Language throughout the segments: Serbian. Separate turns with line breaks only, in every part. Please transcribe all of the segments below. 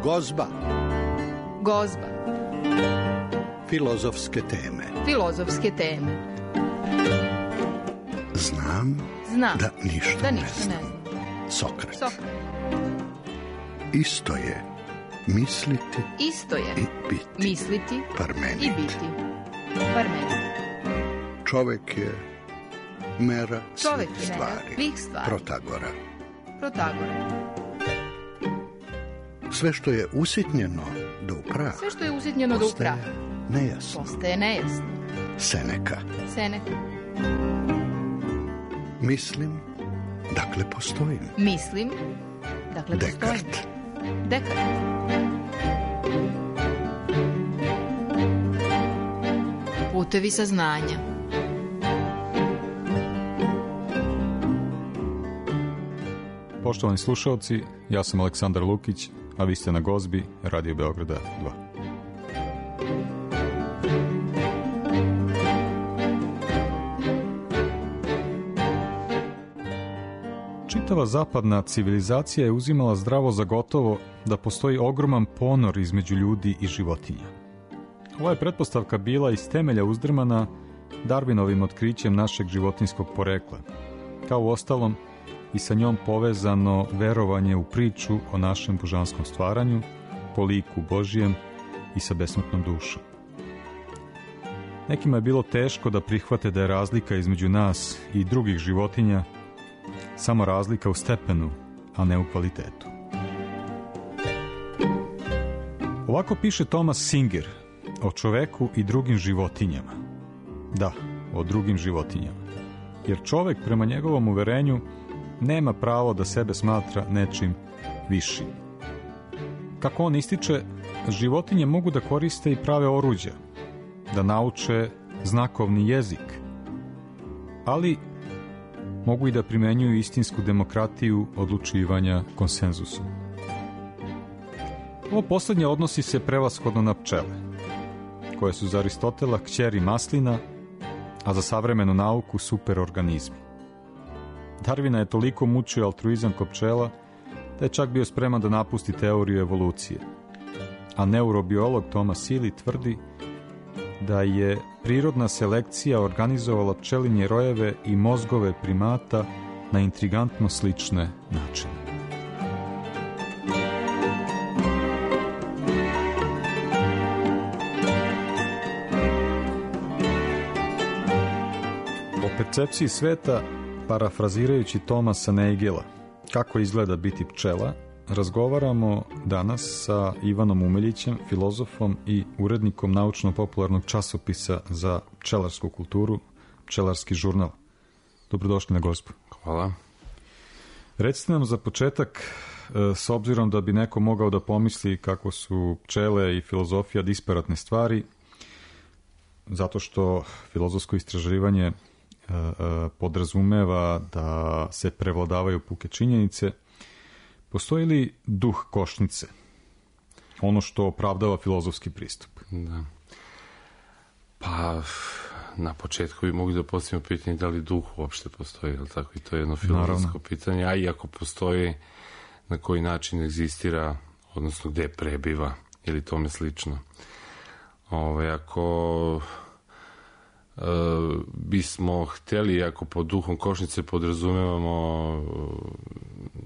Gozba.
Gozba.
Filozofske teme.
Filozofske teme.
Znam da ništa ne znam. Sokrat. Isto je misliti i biti.
Misliti
Parmenid.
i biti. Parmenid.
Čovek je mera
Čovek
svih
je mera
stvari.
svih stvari.
Protagora. Sve što je usitnjeno do upraha.
Sve što je usitnjeno do upraha.
Postaje nejasno. Seneka. Mislim, dakle postojim. Dekart.
Putevi saznanja.
Poštovani slušalci, ja sam Aleksandar Lukić, a vi ste na Gozbi, Radio Beograda 2. Čitava zapadna civilizacija je uzimala zdravo za gotovo da postoji ogroman ponor između ljudi i životinja. Ova je pretpostavka bila iz temelja uzdrmana Darwinovim otkrićem našeg životinjskog porekla, kao u ostalom i sa njom povezano verovanje u priču o našem božanskom stvaranju, po liku Božijem i sa besmrtnom dušom. Nekima je bilo teško da prihvate da je razlika između nas i drugih životinja samo razlika u stepenu, a ne u kvalitetu. Ovako piše Thomas Singer o čoveku i drugim životinjama. Da, o drugim životinjama. Jer čovek, prema njegovom uverenju, nema pravo da sebe smatra nečim višim. Kako on ističe, životinje mogu da koriste i prave oruđa, da nauče znakovni jezik, ali mogu i da primenjuju istinsku demokratiju odlučivanja konsenzusom. Ovo poslednje odnosi se prevashodno na pčele, koje su za Aristotela kćeri maslina, a za savremenu nauku superorganizmi. Darwina je toliko mučio altruizam kod pčela da je čak bio spreman da napusti teoriju evolucije. A neurobiolog Thomas Seeley tvrdi da je prirodna selekcija organizovala pčelinje rojeve i mozgove primata na intrigantno slične načine. O percepciji sveta, parafrazirajući Thomasa Nagela, kako izgleda biti pčela, razgovaramo danas sa Ivanom Umeljićem, filozofom i urednikom naučno-popularnog časopisa za pčelarsku kulturu, Pčelarski žurnal. Dobrodošli na Gozbu.
Hvala.
Recite nam za početak, s obzirom da bi neko mogao da pomisli kako su pčele i filozofija disparatne stvari, zato što filozofsko istraživanje podrazumeva da se prevladavaju puke činjenice, postoji li duh košnice? Ono što opravdava filozofski pristup.
Da. Pa, na početku bi mogli da postavimo pitanje da li duh uopšte postoji, ali tako, i to je jedno filozofsko pitanje, a i ako postoji, na koji način egzistira, odnosno gde prebiva, ili tome slično. Ako bismo hteli, ako pod duhom košnice podrazumevamo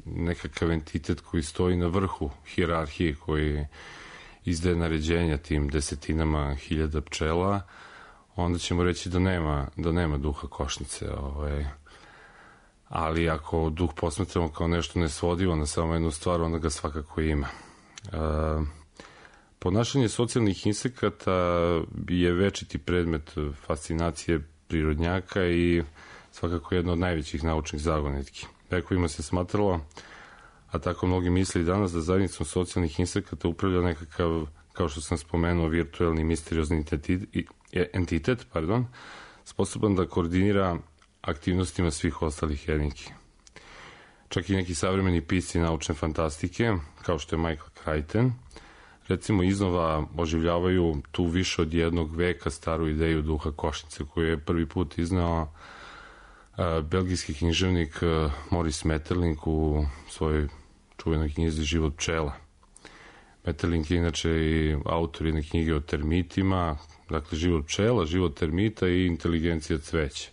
nekakav entitet koji stoji na vrhu hijerarhije, koji izdaje naređenja tim desetinama hiljada pčela, onda ćemo reći da nema duha košnice. Ali ako duh posmatramo kao nešto nesvodivo na samo jednu stvar, onda ga svakako ima. Ponašanje socijalnih insekata je večiti predmet fascinacije prirodnjaka i svakako jedna od najvećih naučnih zagonetki. Vekovima se smatralo, a tako mnogi misli danas, da zajednicom socijalnih insekata upravlja nekakav, kao što sam spomenuo, virtuelni misteriozni entitet, sposoban da koordinira aktivnostima svih ostalih jedinki. Čak i neki savremeni pisci naučne fantastike, kao što je Michael Crichton, recimo iznova oživljavaju tu više od jednog veka staru ideju duha košnice, koju je prvi put iznao belgijski književnik Maurice Maeterlinck u svojoj čuvenoj knjizi Život pčela. Metterlink je inače i autor jedne knjige o termitima, dakle život pčela, život termita i inteligencija cveća.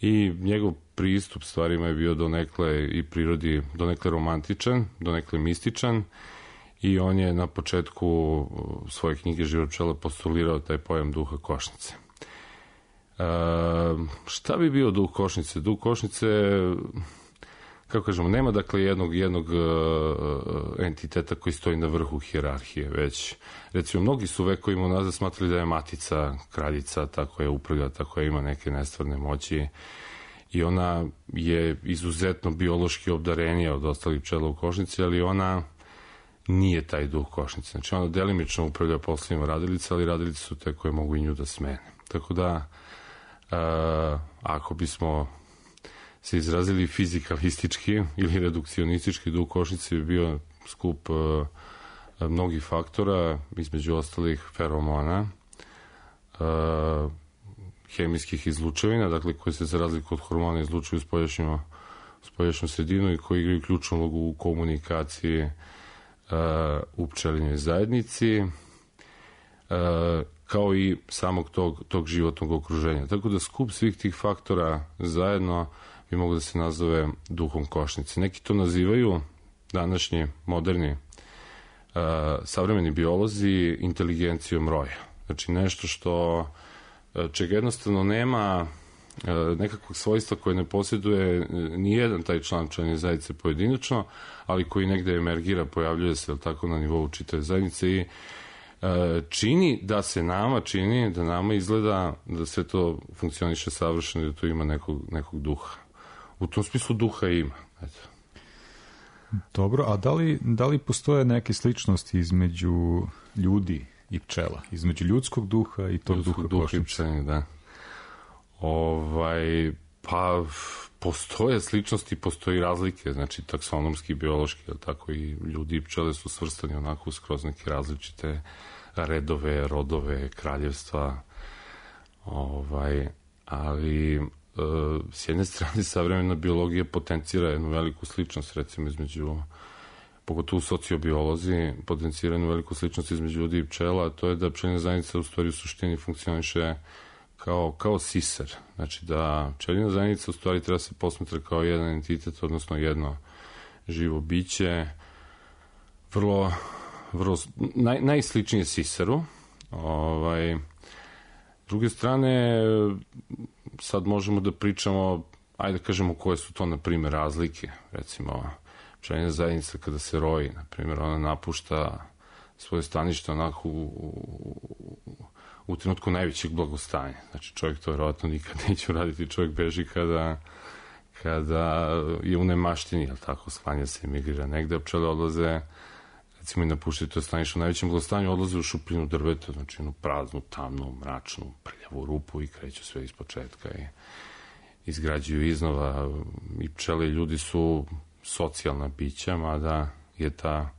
I njegov pristup stvarima je bio donekle i prirodi, donekle romantičan, donekle mističan, i on je na početku svoje knjige Život pčela postulirao taj pojam duha košnice. Šta bi bio duh košnice? Duh košnice, kako kažemo, nema dakle jednog entiteta koji stoji na vrhu hijerarhije, već recimo mnogi su vekovima unazad smatrali da je matica kraljica, tako je upravlja, tako je ima neke nestvarne moći i ona je izuzetno biološki obdarenija od ostalih pčela u košnici, ali ona nije taj duh košnice. Znači ona delimično upravlja poslovima radilica, ali radilice su te koje mogu i nju da smene. Tako da ako bismo se izrazili fizikalistički ili redukcionistički, duh košnice bi bio skup mnogih faktora, između ostalih feromona, hemijskih izlučevina, dakle koji se za razliku od hormona izlučuju spoljašnju sredinu i koji igraju ključnu ulogu u komunikaciji u pčelinjoj zajednici, kao i samog tog životnog okruženja. Tako da skup svih tih faktora zajedno bi mogo da se nazove duhom košnice. Neki to nazivaju, današnji, moderni, savremeni biolozi, inteligencijom roja. Znači nešto čega jednostavno nema nekakvog svojstva koje ne posjeduje nijedan taj član pčelinje zajednice pojedinačno, ali koji negde emergira, pojavljuje se tako na nivou čitave zajednice i čini da nama izgleda da sve to funkcioniše savršeno i da to ima nekog duha. U tom smislu duha ima. Eto.
Dobro, a da li postoje neke sličnosti između ljudi i pčela? Između ljudskog duha i tog duha košnice?
I pčelinje, da. Pa postoje sličnosti, postoji razlike, znači taksonomski, biološki, tako i ljudi i pčele su svrstani onako skroz neke različite redove, rodove, kraljevstva, ali s jedne strane savremena biologija potencira jednu veliku sličnost, recimo između, pogotovo sociobiolozi, potencira jednu veliku sličnost između ljudi i pčela, a to je da pčelinja zajednica u stvari u suštini funkcioniše kao siser. Znači da pčelinja zajednica u stvari treba se posmatra kao jedan entitet, odnosno jedno živo biće, vrlo najsličnije siseru. S druge strane, sad možemo da pričamo, ajde da kažemo koje su to, na primjer, razlike. Recimo, pčelinja zajednica kada se roji, na primjer, ona napušta svoje stanište onako u trenutku najvećeg blagostanja. Znači, čovjek to vjerovatno nikad neće uraditi. Čovjek beži kada je u nemaštini, jel tako, sklanja se, emigrira negde, a pčele odlaze, recimo, i napuštaju to stanište u najvećem blagostanju, odlaze u šupljinu drveta, znači jednu praznu, tamnu, mračnu, prljavu rupu i kreću sve iz početka i izgrađuju iznova. I pčele i ljudi su socijalna bića, mada je ta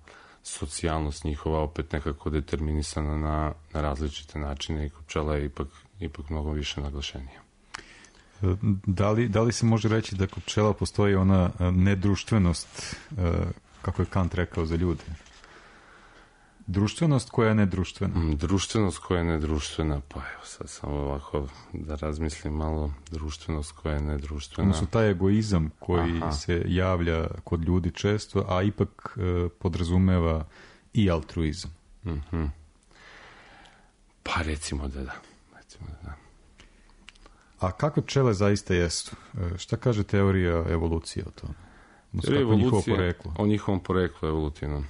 socijalnost njihova opet nekako determinisana na različite načine i kod pčela je ipak mnogo više naglašenija.
Da li se može reći da kod pčela postoji ona nedruštvenost, kako je Kant rekao za ljude? Društvenost koja je nedruštvena.
Društvenost koja je nedruštvena, pa evo sad samo ovako da razmislim malo. Društvenost koja je nedruštvena.
Odnosno taj egoizam koji se javlja kod ljudi često, a ipak podrazumeva i altruizam.
Pa recimo da da.
A kakve pčele zaista jesu? Šta kaže teorija evolucije o tome?
O njihovom poreklu evolutivnom.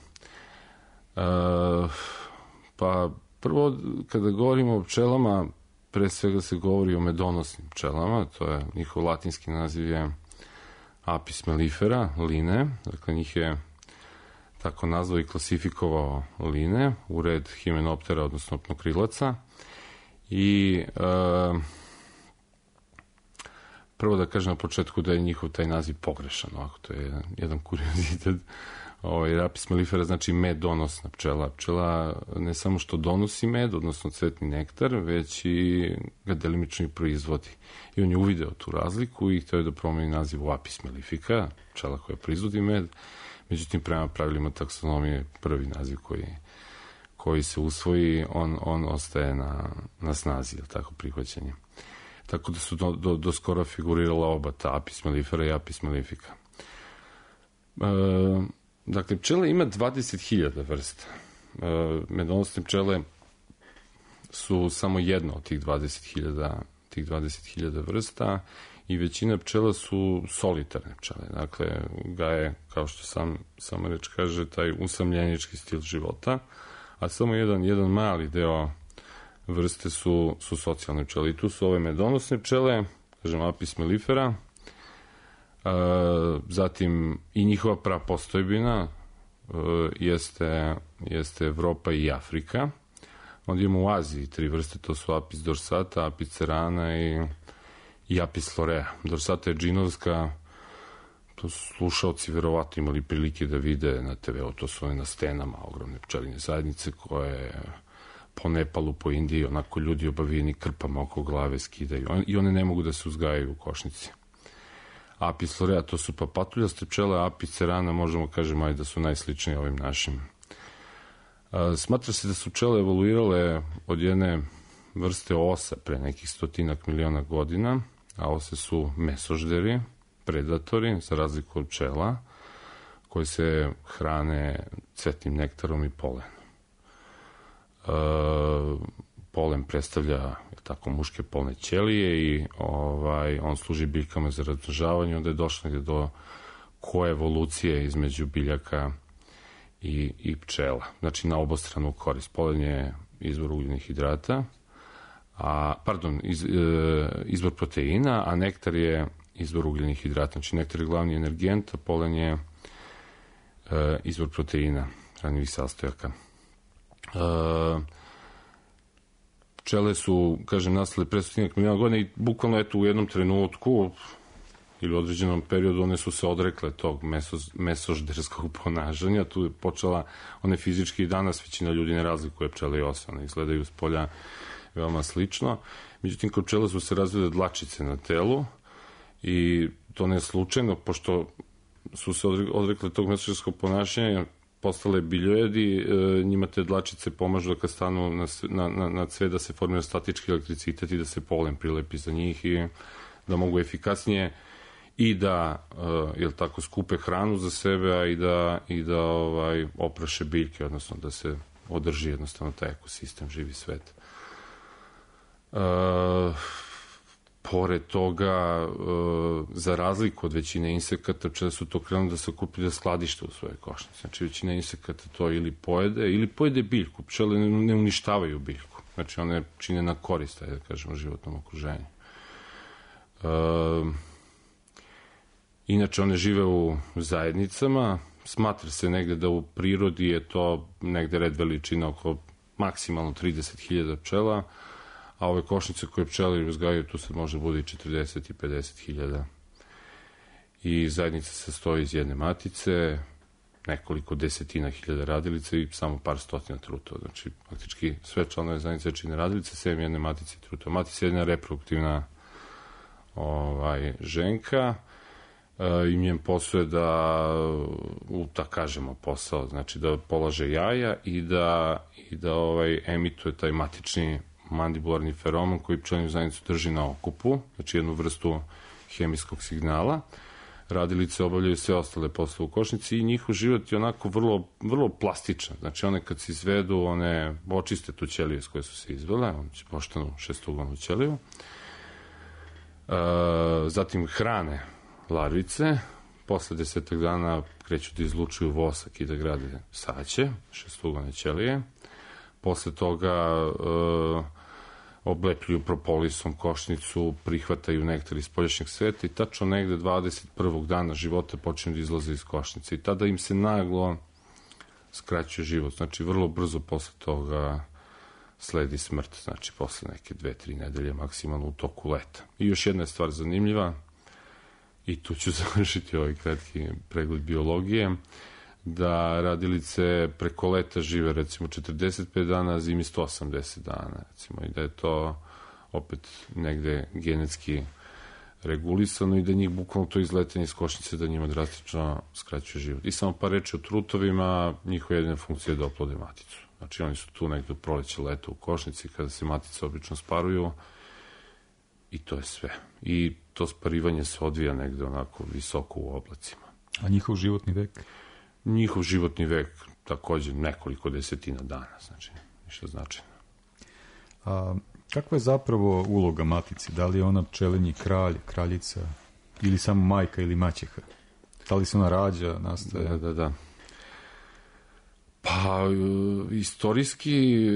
Pa prvo, kada govorimo o pčelama, pre svega se govori o medonosnim pčelama, to je njihov latinski naziv je Apis mellifera, line, dakle njih je tako nazvao i klasifikovao line u red himenoptera, odnosno pnokrilaca. I prvo da kažem na početku da je njihov taj naziv pogrešan, ovako, to je jedan kuriozitet. Apis mellifera znači medonosna pčela. Pčela ne samo što donosi med, odnosno cvetni nektar, već i ga delimično i proizvodi. I on je uvideo tu razliku i htio je da promeni naziv u Apis mellifica, pčela koja proizvodi med. Međutim, prema pravilima taksonomije, prvi naziv koji se usvoji, on ostaje na snazi, je tako, prihvaćanje. Tako da su do skoro figurirala oba, ta Apis mellifera i Apis mellifica. Dakle, pčele ima 20.000 vrsta. Medonosne pčele su samo jedna od tih 20.000 vrsta i većina pčela su solitarne pčele. Dakle, gaje, kao što sama reč kaže, taj usamljenički stil života, a samo jedan mali deo vrste su socijalne pčele. I tu su ove medonosne pčele, kažem Apis mellifera, zatim i njihova prapostojbina jeste Evropa i Afrika. Onda imamo u Aziji 3 vrste, to su Apis dorsata, Apis cerana i Apis florea. Dorsata je džinovska, to su slušalci verovatno imali prilike da vide na TV-u, to su one na stenama ogromne pčelinje zajednice koje po Nepalu, po Indiji, onako ljudi obavijeni krpama oko glave skidaju i one ne mogu da se uzgajaju u košnici. Apis florea, to su papatuljaste pčele, Apis cerana možemo kažemo da su najsličnije ovim našim. Smatra se da su pčele evoluirale od jedne vrste osa pre nekih 100 miliona godina, a ose su mesožderi, predatori, za razliku od pčela, koje se hrane cvetnim nektarom i polenom. Polen predstavlja tako muške polne ćelije i on služi biljkama za razmnožavanje, onda je došlo do koevolucije između biljaka i pčela. Znači, na obostranu korist. Polen je izvor ugljenih hidrata, izvor proteina, a nektar je izvor ugljenih hidrata. Znači, nektar je glavni energent, a polen je izvor proteina, hranjivih sastojaka. Pčele su, kažem, nastale pre 100 miliona godina i bukvalno u jednom trenutku ili u određenom periodu one su se odrekle tog mesožderskog ponašanja. Tu je počela, one fizički i danas većina ljudi ne razlikuje pčele i ose, one izgledaju s polja veoma slično. Međutim, kod pčela su se razvile dlačice na telu i to ne slučajno, pošto su se odrekle tog mesožderskog ponašanja, postale biljojedi, njima te dlačice pomažu da kad stanu na cvet da se formira statički elektricitet i da se polen prilepi za njih i da mogu efikasnije i da skupe hranu za sebe, a i da opraše biljke, odnosno da se održi jednostavno taj ekosistem, živi svet. Pored toga, za razliku od većine insekata, pčele su to krenuli da se okuplju da skladište u svoje košnice. Znači, većina insekata to ili pojede biljku. Pčele ne uništavaju biljku. Znači, one čine na korist, da kažemo, životnom okruženju. Inače, one žive u zajednicama. Smatra se negde da u prirodi je to negde red veličina oko maksimalno 30.000 pčela, a ove košnice koje pčele uzgajaju, tu se može bude i 40 i 50.000. I zajednica se sastoji iz jedne matice, nekoliko desetina hiljada radilica i samo par stotina trutova. Znači, praktički sve članove zajednice čine radilice, sem jedne matice i trutova. Matica je jedna reproduktivna ženka i njen posao je da kažemo posao, znači da polaže jaja i da emituje taj matični mandibularni feromen koji pčelinu zajednicu drži na okupu, znači jednu vrstu hemijskog signala. Radilice obavljaju sve ostale poslove u košnici i njihov život je onako vrlo plastičan. Znači, one kad se izvedu, one očiste tu ćeliju s koje su se izvele, one će poštanu šestuglavnu ćeliju. Zatim hrane larvice, posle 10 dana kreću da izlučuju vosak i da grade saće, šestuglavne ćelije. Posle toga oblepljuju propolisom košnicu, prihvataju nektar iz spoljašnjeg sveta i tačno negde 21. dana života počinju da izlaze iz košnice i tada im se naglo skraćuje život. Znači, vrlo brzo posle toga sledi smrt, znači posle neke 2-3 nedelje maksimalno u toku leta. I još jedna je stvar zanimljiva, i tu ću završiti ovaj kratki pregled biologije, da radilice preko leta žive recimo 45 dana, a zimi 180 dana, recimo, i da je to opet negde genetski regulisano i da njih bukvalno to izletanje iz košnice da njima drastično skraćuje život. I samo par reči o trutovima, njihova jedina funkcija je da oplode maticu. Znači oni su tu nekdo proleće, leto u košnici, kada se matice obično sparuju i to je sve. I to sparivanje se odvija negde onako visoko u oblacima.
A njihov životni vek?
Njihov životni vek takođe nekoliko desetina dana, znači ništa značajno.
A kakva je zapravo uloga matice? Da li je ona pčelinji kralj, kraljica ili samo majka ili maćeha? Da li se ona rađa, nastaje?
Da. Pa, istorijski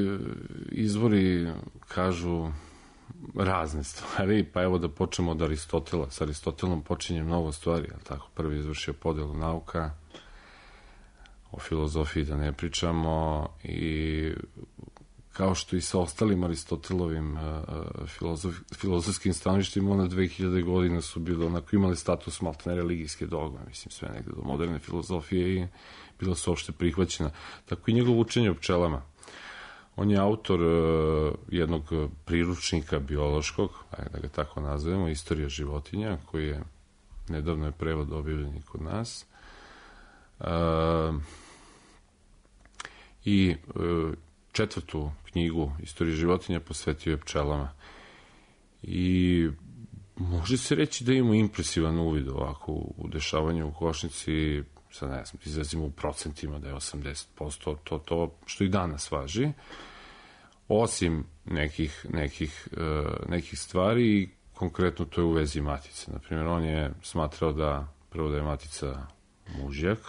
izvori kažu razne stvari, pa evo da počnemo od Aristotela. S Aristotelom počinje mnogo stvari, ali tako, prvi izvršio podelu nauka, o filozofiji da ne pričamo, i kao što i sa ostalim Aristotelovim filozofskim stanovištima, ona 2000 godina su bile onako, imali status maltene religijske dogme, mislim, sve negde do moderne filozofije i bila su opšte prihvaćena. Tako i njegov učenje o pčelama. On je autor jednog priručnika biološkog, da ga tako nazovemo, Istorija životinja, koji je nedavno je prevod objavljen kod nas. I četvrtu knjigu Istorije životinja posvetio je pčelama. I može se reći da imamo impresivan uvid ovako u dešavanju u košnici, sad ne znam, izrazimo u procentima da je 80% to što i danas važi, osim nekih stvari, konkretno to je u vezi matice. Naprimjer, on je smatrao da prvo da je matica mužjak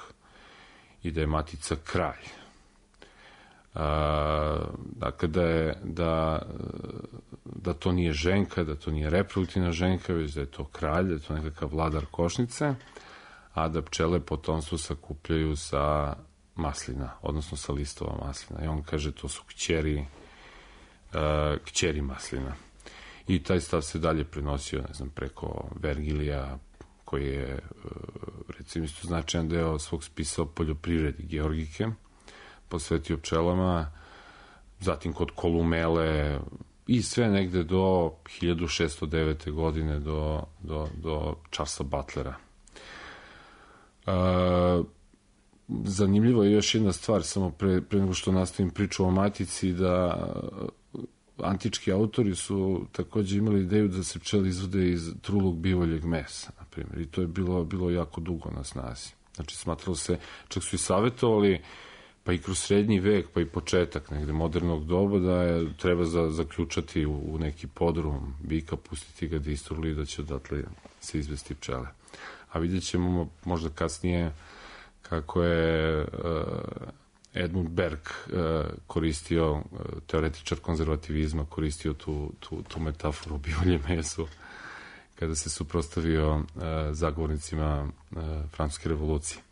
i da je matica kralj. Dakle, da to nije ženka, da to nije reproduktivna ženka, već da je to kralj, da je to nekakav vladar košnice, a da pčele potomstvo sakupljaju sa maslina, odnosno sa listova maslina. I on kaže, to su kćeri maslina. I taj stav se dalje prenosio, ne znam, preko Vergilija, koji je, recimo, isto značajan deo svog spisa o poljoprivredi, Georgike, posvetio pčelama, zatim kod Kolumele i sve negde do 1609. godine do Charlesa Butlera. Zanimljivo je još jedna stvar, samo pre nego što nastavim priču o matici, da antički autori su takođe imali ideju da se pčele izvode iz trulog bivoljeg mesa, na primjer, i to je bilo jako dugo na snazi. Znači, smatralo se, čak su i savjetovali, pa i kroz srednji vek, pa i početak negde modernog doba, da je treba zaključati u neki podrum bika, pustiti ga da istruli i da će odatle se izvesti pčele. A vidjet ćemo možda kasnije kako je Edmund Burke koristio, teoretičar konzervativizma, koristio tu metaforu o bivoljem mesu kada se suprotstavio zagovornicima Francuske revolucije.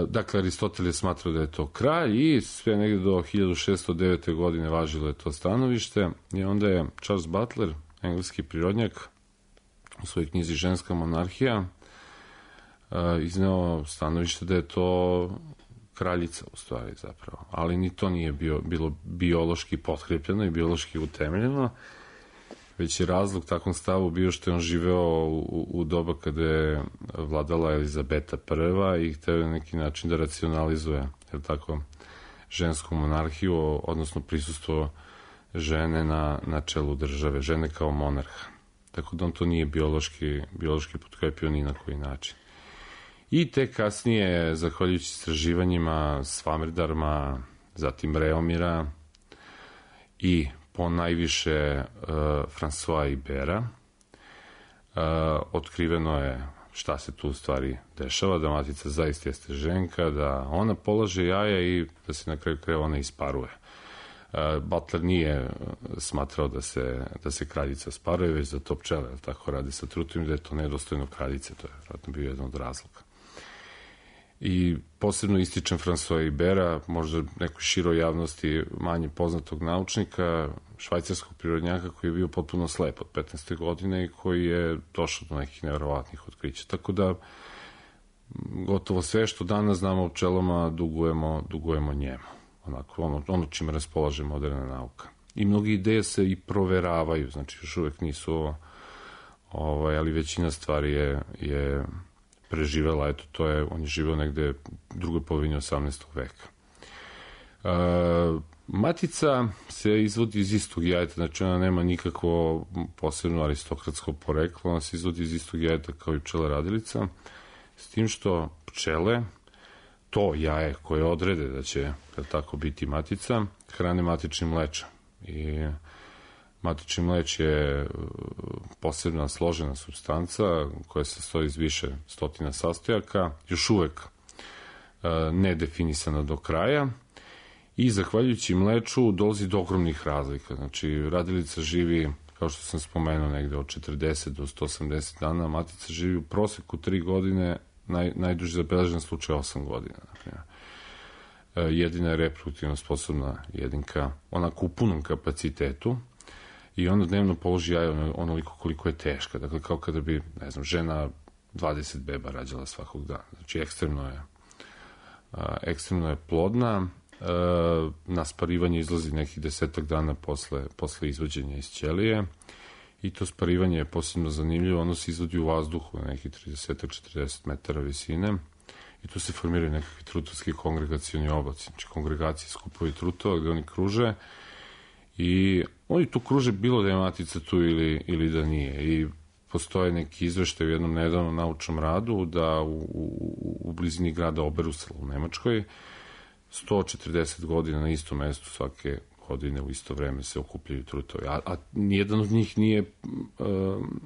Dakle, Aristotel je smatrao da je to kralj i sve negde do 1609. godine važilo je to stanovište i onda je Charles Butler, engleski prirodnjak, u svojoj knjizi Ženska monarhija izneo stanovište da je to kraljica u stvari zapravo, ali ni to nije bilo biološki potkrepljeno i biološki utemeljeno, već je razlog takvom stavu bio što je on živeo u doba kada je vladala Elizabeta I i hteo na neki način da racionalizuje, je tako, žensku monarhiju, odnosno prisustvo žene na čelu države, žene kao monarha. Tako da on to nije biološki potkrepio ni na koji način. I te kasnije, zahvaljujući istraživanjima Svamerdarma, zatim Reomira i po najviše François Ibera, otkriveno je šta se tu u stvari dešava, da matica zaista jeste ženka, da ona polaže jaja i da se na kraju krajeva ona isparuje. Butler nije smatrao da se kraljica sparuje, već da to pčele, tako radi sa trutom, da je to nedostojno kraljice, to je vratno bio jedan od razloga. I posebno ističem François Ibera, možda nekoj široj javnosti manje poznatog naučnika, švajcarskog prirodnjaka koji je bio potpuno slep od 15. godine i koji je došao do nekih neverovatnih otkrića. Tako da gotovo sve što danas znamo o pčelama dugujemo njemu. Onako, ono čime raspolaže moderna nauka. I mnogi ideje se i proveravaju, znači još uvek nisu ali većina stvari je preživela, eto, on je živeo negde u drugoj polovini 18. veka. Matica se izvodi iz istog jajeta, znači ona nema nikakvo posebno aristokratsko poreklo, ona se izvodi iz istog jajeta kao i pčela radilica, s tim što pčele, to jaje koje odrede da će tako biti matica, hrane matičnim mlečem. I matični mleč je posebna složena supstanca koja se sastoji iz više stotina sastojaka, još uvek nedefinisana do kraja, i zahvaljujući mleču dolazi do ogromnih razlika. Znači, radilica živi, kao što sam spomenuo, negde od 40 do 180 dana, matica živi u proseku 3 godine, najduže zabeležen slučaj 8 godina. Jedina je reproduktivno sposobna jedinka, onako u punom kapacitetu, i ona dnevno položi jaje onoliko koliko je teška. Dakle, kao kada bi, ne znam, žena 20 beba rađala svakog dana. Znači, ekstremno je plodna. Na sparivanje izlazi nekih 10 dana posle izvođenja iz ćelije, i to sparivanje je posebno zanimljivo. Ono se izvodi u vazduhu na nekih 30-40 metara visine, i tu se formiraju nekakvi trutovski kongregacioni oblaci. Znači, kongregacije, skupovi trutova gde oni kruže, i oni tu kruže bilo da je matica tu ili da nije. I postoje neki izveštaj u jednom nedavnom naučnom radu da u blizini grada Oberusel u Nemačkoj 140 godina na istom mestu svake godine u isto vreme se okupljaju trutovi. A nijedan od njih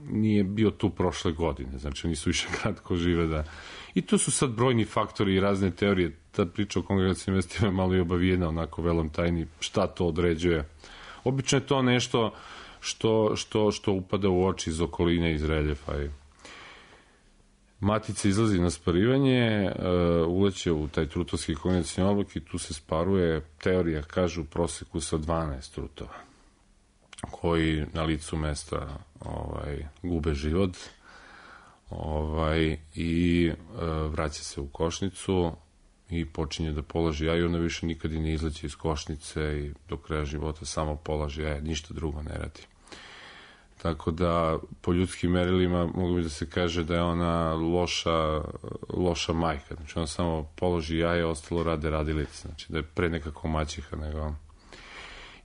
nije bio tu prošle godine. Znači, oni su više kratko žive da... I tu su sad brojni faktori i razne teorije. Ta priča o kongregacijnim mestima je malo i obavijena, onako velom tajni, šta to određuje. Obično je to nešto što upada u oči iz okoline, iz reljefa. Matica izlazi na sparivanje, uleće u taj trutovski kongregacijni oblak i tu se sparuje, teorija kaže, u proseku sa 12 trutova, koji na licu mesta gube život i vraća se u košnicu i počinje da polaži jaje. Ona više nikad i ne izleće iz košnice i do kraja života samo polaži jaje, ništa drugo ne radi. Tako da, po ljudskim merilima mogu bi da se kaže da je ona loša majka. Znači, ona samo položi jaje, ostalo rade radilice. Znači, da je pre nekako maćeha nego...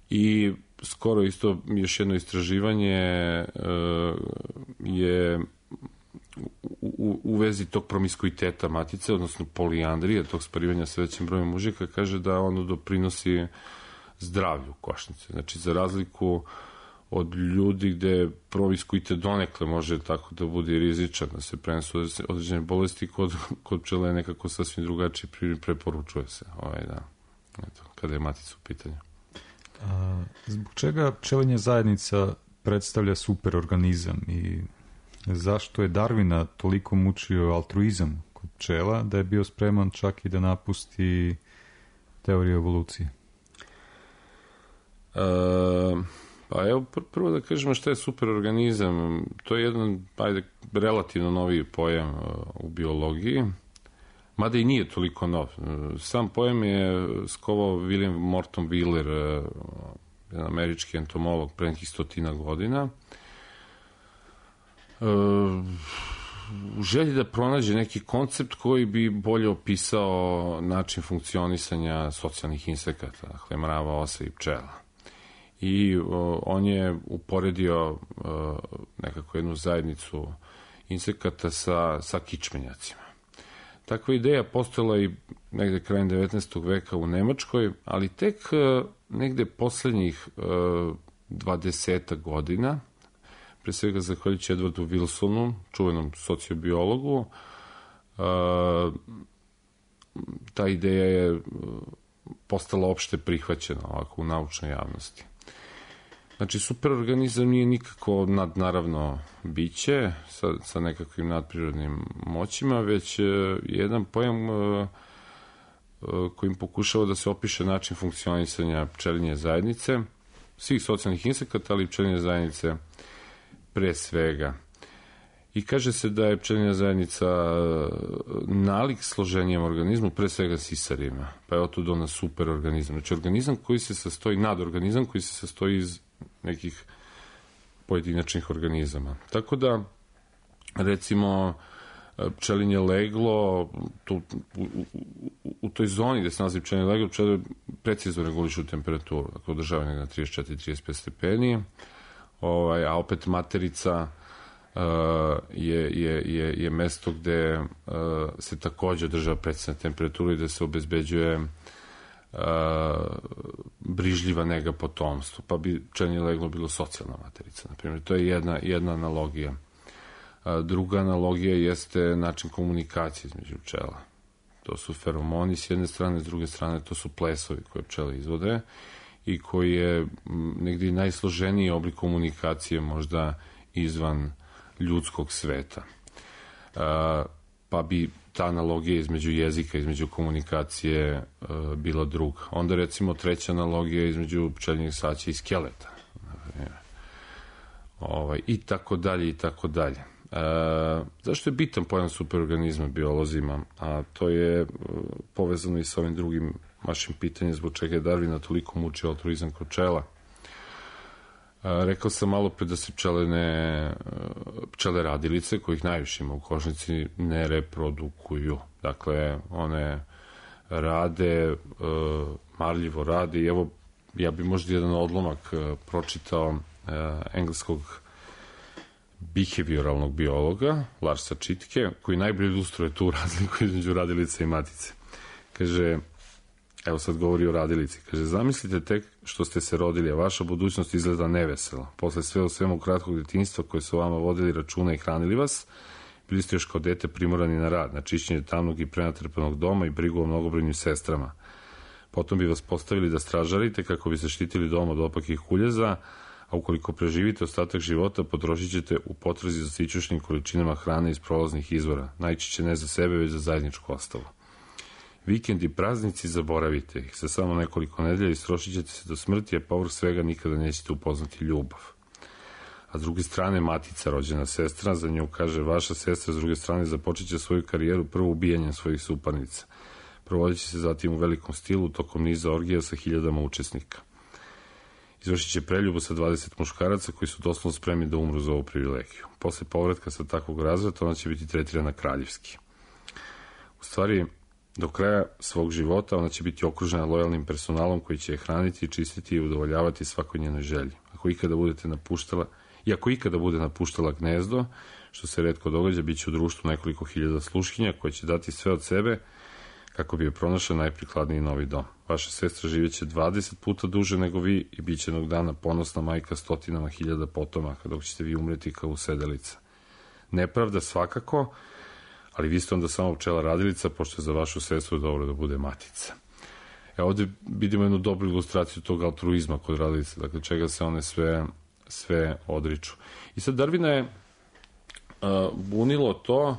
I skoro isto još jedno istraživanje je u vezi tog promiskuiteta matice, odnosno poliandrije, tog sparivanja sa većim brojem mužika, kaže da ono doprinosi zdravlju košnice. Znači, za razliku od ljudi gde promiskuitet donekle može tako da bude rizičan, da se prenesu određene bolesti, kod pčela je nekako sasvim drugačiji, preporučuje se kada je matica u pitanju.
Zbog čega pčelinja zajednica predstavlja superorganizam i zašto je Darwina toliko mučio altruizam kod pčela da je bio spreman čak i da napusti teoriju evolucije?
Pa evo, prvo da kažemo šta je superorganizam. To je jedan, relativno novi pojam u biologiji, mada i nije toliko nov. Sam pojam je skovao William Morton Wheeler, jedan američki entomolog, pre nekih 100 godina, u želji da pronađe neki koncept koji bi bolje opisao način funkcionisanja socijalnih insekata, dakle mrava, osa i pčela. I on je uporedio nekako jednu zajednicu insekata sa kičmenjacima. Takva ideja postojala i negde krajem 19. veka u Nemačkoj, ali tek negde poslednjih 20 godina, pre svega zahvaljujući Edwardu Wilsonu, čuvenom sociobiologu, ta ideja je postala opšte prihvaćena ovako u naučnoj javnosti. Znači, superorganizam nije nikako nadnaravno biće sa nekakvim nadprirodnim moćima, već jedan pojam kojim pokušava da se opiše način funkcionisanja pčelinje zajednice, svih socijalnih insekata, ali i pčelinje zajednice pre svega. I kaže se da je pčelinja zajednica nalik složenijem organizmu, pre svega sisarima, pa je otud ona superorganizam. Znači, organizam koji se sastoji, nadorganizam koji se sastoji iz nekih pojedinačnih organizama. Tako da, recimo, pčelinje leglo, u toj zoni gde se nalazi pčelinje leglo, pčele precizno regulišu temperaturu, dakle održavaju na 34-35 stepeni, a opet materica je mesto gde se takođe održava precizna temperatura i gde se obezbeđuje brižljiva nega potomstvu, pa bi pčelinje leglo bilo socijalna materica, na primjer. To je jedna analogija. Druga analogija jeste način komunikacije između pčela. To su feromoni s jedne strane, s druge strane to su plesovi koje pčele izvode i koji je negdje najsloženiji oblik komunikacije možda izvan ljudskog sveta. Pa bi ta analogija između jezika, između komunikacije bila druga. Onda recimo treća analogija između pčelinjeg saća i skeleta. I tako dalje, i tako dalje. Zašto je bitan pojam superorganizma biolozima? A to je povezano i sa ovim drugim vašim pitanjem zbog čega je Darwina toliko mučio altruizam kod pčela. Rekao sam malo pre da se pčele radilice, kojih najviše ima u košnici, ne reprodukuju. Dakle, one rade, marljivo rade i evo, ja bi možda jedan odlomak pročitao engleskog behavioralnog biologa, Larsa Čitke, koji najbolje ilustruje tu razliku između radilice i matice. Kaže, evo sad govori o radilici, kaže, zamislite tek što ste se rodili, a vaša budućnost izgleda nevesela. Posle sve u svemu kratkog detinjstva koje su vama vodili računa i hranili vas, bili ste još kao dete primorani na rad, na čišćenje tamnog i prenatrpanog doma i brigu o mnogobrojnim sestrama. Potom bi vas postavili da stražarite kako bi zaštitili dom od opakih kuljeza, a ukoliko preživite ostatak života, potrošit ćete u potrazi za sićušnim količinama hrane iz prolaznih izvora, najčešće ne za sebe, već za zajedničko ostalo. Vikend i praznici zaboravite ih, za samo nekoliko nedelja istrošit ćete se do smrti, a povrh svega nikada nećete upoznati ljubav. A s druge strane, matica, rođena sestra, za nju kaže, vaša sestra, s druge strane, započet će svoju karijeru prvo ubijanjem svojih suparnica. Provodit će se zatim u velikom stilu, tokom niza orgija sa hiljadama učesnika. Izvršit će preljubu sa 20 muškaraca koji su doslovno spremni da umru za ovu privilegiju. Posle povratka sa takvog razvrata ona će biti tretirana kraljevski. U stvari, do kraja svog života ona će biti okružena lojalnim personalom koji će je hraniti, čistiti i udovoljavati svakoj njenoj želji. Ako ikada bude napuštala gnezdo, što se retko događa, bit će u društvu nekoliko hiljada sluškinja koje će dati sve od sebe kako bi je pronašla najprikladniji novi dom. Vaša sestra živjeće 20 puta duže nego vi i bit će jednog dana ponosna majka stotinama hiljada potomaka, dok ćete vi umreti kao usedelica. Nepravda svakako, ali vi ste onda samo pčela radilica, pošto je za vašu sestru dobro da bude matica. Ovde vidimo jednu dobru ilustraciju tog altruizma kod radilice, dakle čega se one sve odriču. I sad Darwina je bunilo to,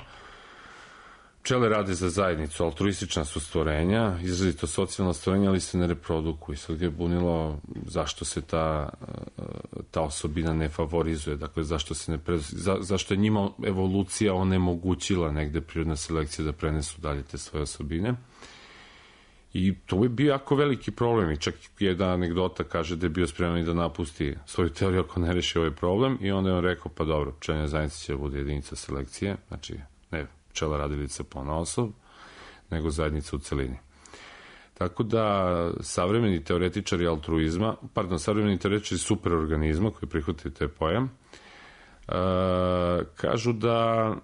pčele rade za zajednicu, altruistična su stvorenja, izrazito socijalna stvorenja, ali se ne reprodukuju. Sad je bunilo zašto se ta osobina ne favorizuje, dakle zašto je njima evolucija onemogućila negde prirodna selekcija da prenesu dalje te svoje osobine. I to je bio jako veliki problem i čak jedna anegdota kaže da je bio spreman i da napusti svoju teoriju ako ne reši ovaj problem i onda je on rekao, pa dobro, pčelinja zajednica će da bude jedinica selekcije, znači ne pčela radilica ponaosob, nego zajednica u celini. Tako da savremeni teoretičari savremeni teoretičari superorganizma koji prihvataju taj pojam, kažu da,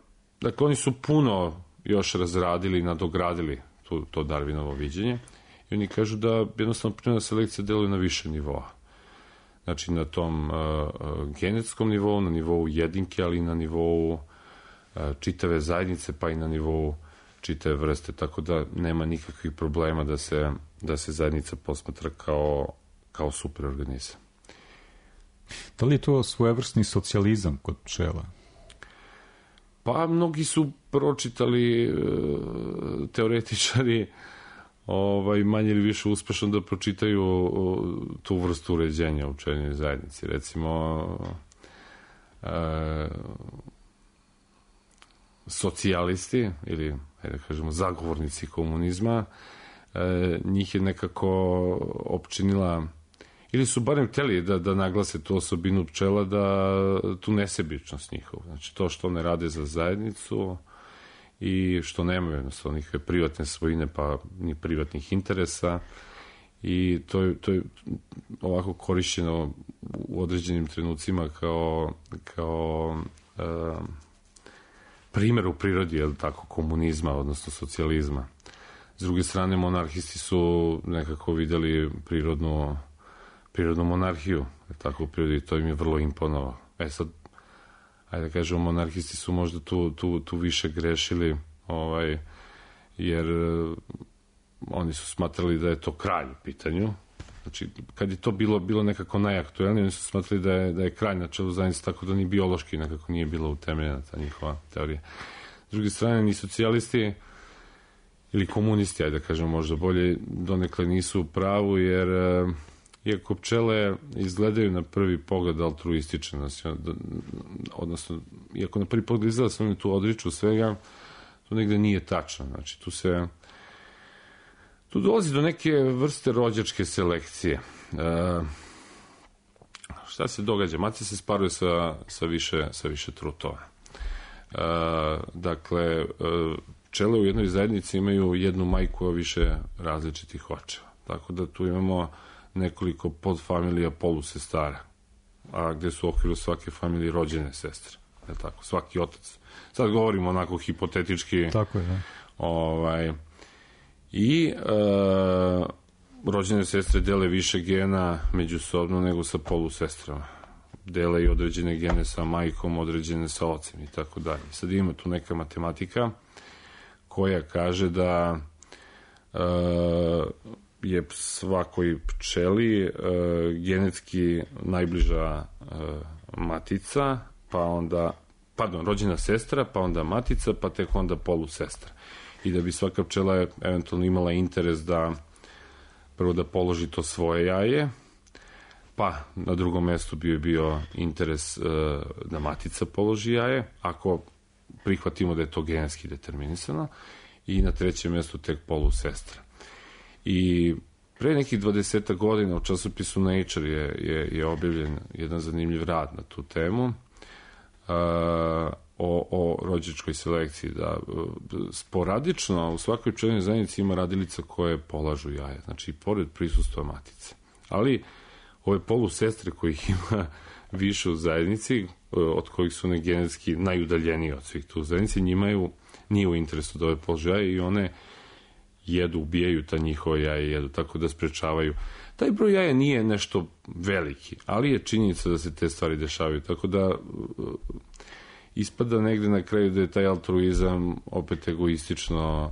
dakle, oni su puno još razradili i nadogradili to Darwinovo viđenje i oni kažu da jednostavno prirodna selekcija deluje na više nivoa. Znači na tom genetskom nivou, na nivou jedinke, ali i na nivou čitave zajednice, pa i na nivou čitave vrste, tako da nema nikakvih problema da se zajednica posmatra kao superorganizam.
Da li je to svojevrsni socijalizam kod pčela?
Pa mnogi su pročitali teoretičari manje ili više uspešno da pročitaju tu vrstu uređenja u pčelinjoj zajednici. Recimo socijalisti ili, da kažemo, zagovornici komunizma, njih je nekako opčinila ili su barem hteli da naglase tu osobinu pčela, da tu nesebičnost njihova. Znači, to što one rade za zajednicu i što nemaju jednostavno nikakve privatne svojine, pa ni privatnih interesa, i to je ovako korišćeno u određenim trenucima kao primjer u prirodi, je li tako, komunizma, odnosno socijalizma. S druge strane, monarhisti su nekako videli prirodnu monarhiju, je tako, u prirodi, to im je vrlo imponovalo. Sad, ajde da kažemo, monarhisti su možda tu više grešili, jer oni su smatrali da je to kralj u pitanju. Znači, kad je to bilo nekako najaktuelnije, oni su smatrali da je kralj na čelu zajednice, tako da ni biološki nekako nije bila utemeljena ta njihova teorija. S druge strane, ni socijalisti ili komunisti, ajde da kažemo možda bolje, donekle nisu u pravu, jer iako pčele izgledaju na prvi pogled altruistične, odnosno, iako na prvi pogled izgleda se oni tu odriču svega, to negde nije tačno. Znači, tu dolazi do neke vrste rođačke selekcije. Šta se događa? Matica se sparuje sa više trutova. Dakle, pčele u jednoj zajednici imaju jednu majku, a više različitih očeva. Tako da tu imamo nekoliko podfamilija polusestara, a gde su u okviru svake familije rođene sestre. Tako, svaki otac. Sad govorimo onako hipotetički.
Tako je, da.
I rođene sestre dele više gena međusobno nego sa polusestrama. Dele i određene gene sa majkom, određene sa ocem i tako dalje. Sad ima tu neka matematika koja kaže da je svakoj pčeli genetski najbliža matica, pa onda, rođena sestra, pa onda matica, pa tek onda polusestra. I da bi svaka pčela eventualno imala interes da prvo da položi to svoje jaje, pa na drugom mestu bi bio interes da matica položi jaje, ako prihvatimo da je to genetski determinisano, i na trećem mestu tek polusestra. I pre nekih 20 godina u časopisu Nature je objavljen jedan zanimljiv rad na tu temu, o rođačkoj selekciji, da sporadično u svakoj pčelinoj zajednici ima radilica koje polažu jaja, znači pored prisustva matice. Ali ove polusestre kojih ima više u zajednici, od kojih su one genetski najudaljenije od svih tu u zajednici, njima nije u interesu da ove položu jaja i one jedu, ubijaju ta njihova jaja, jedu, tako da sprečavaju. Taj broj jaja nije nešto veliki, ali je činjenica da se te stvari dešavaju, tako da ispada negde na kraju da je taj altruizam opet egoistično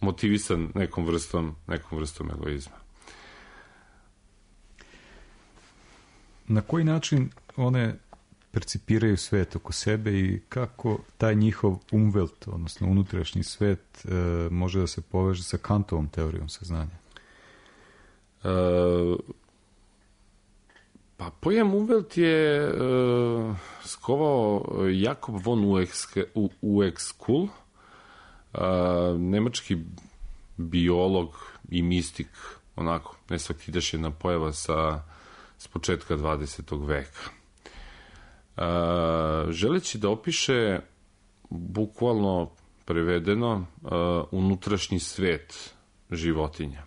motivisan nekom vrstom egoizma.
Na koji način one percipiraju svet oko sebe i kako taj njihov umwelt, odnosno unutrašnji svet, može da se poveže sa Kantovom teorijom saznanja?
Pa pojam umwelt je skovao Jakob von Uexküll, nemački biolog i mistik, onako, nesvakidašnja pojava s početka 20. veka. Želeći da opiše bukvalno prevedeno unutrašnji svet životinja.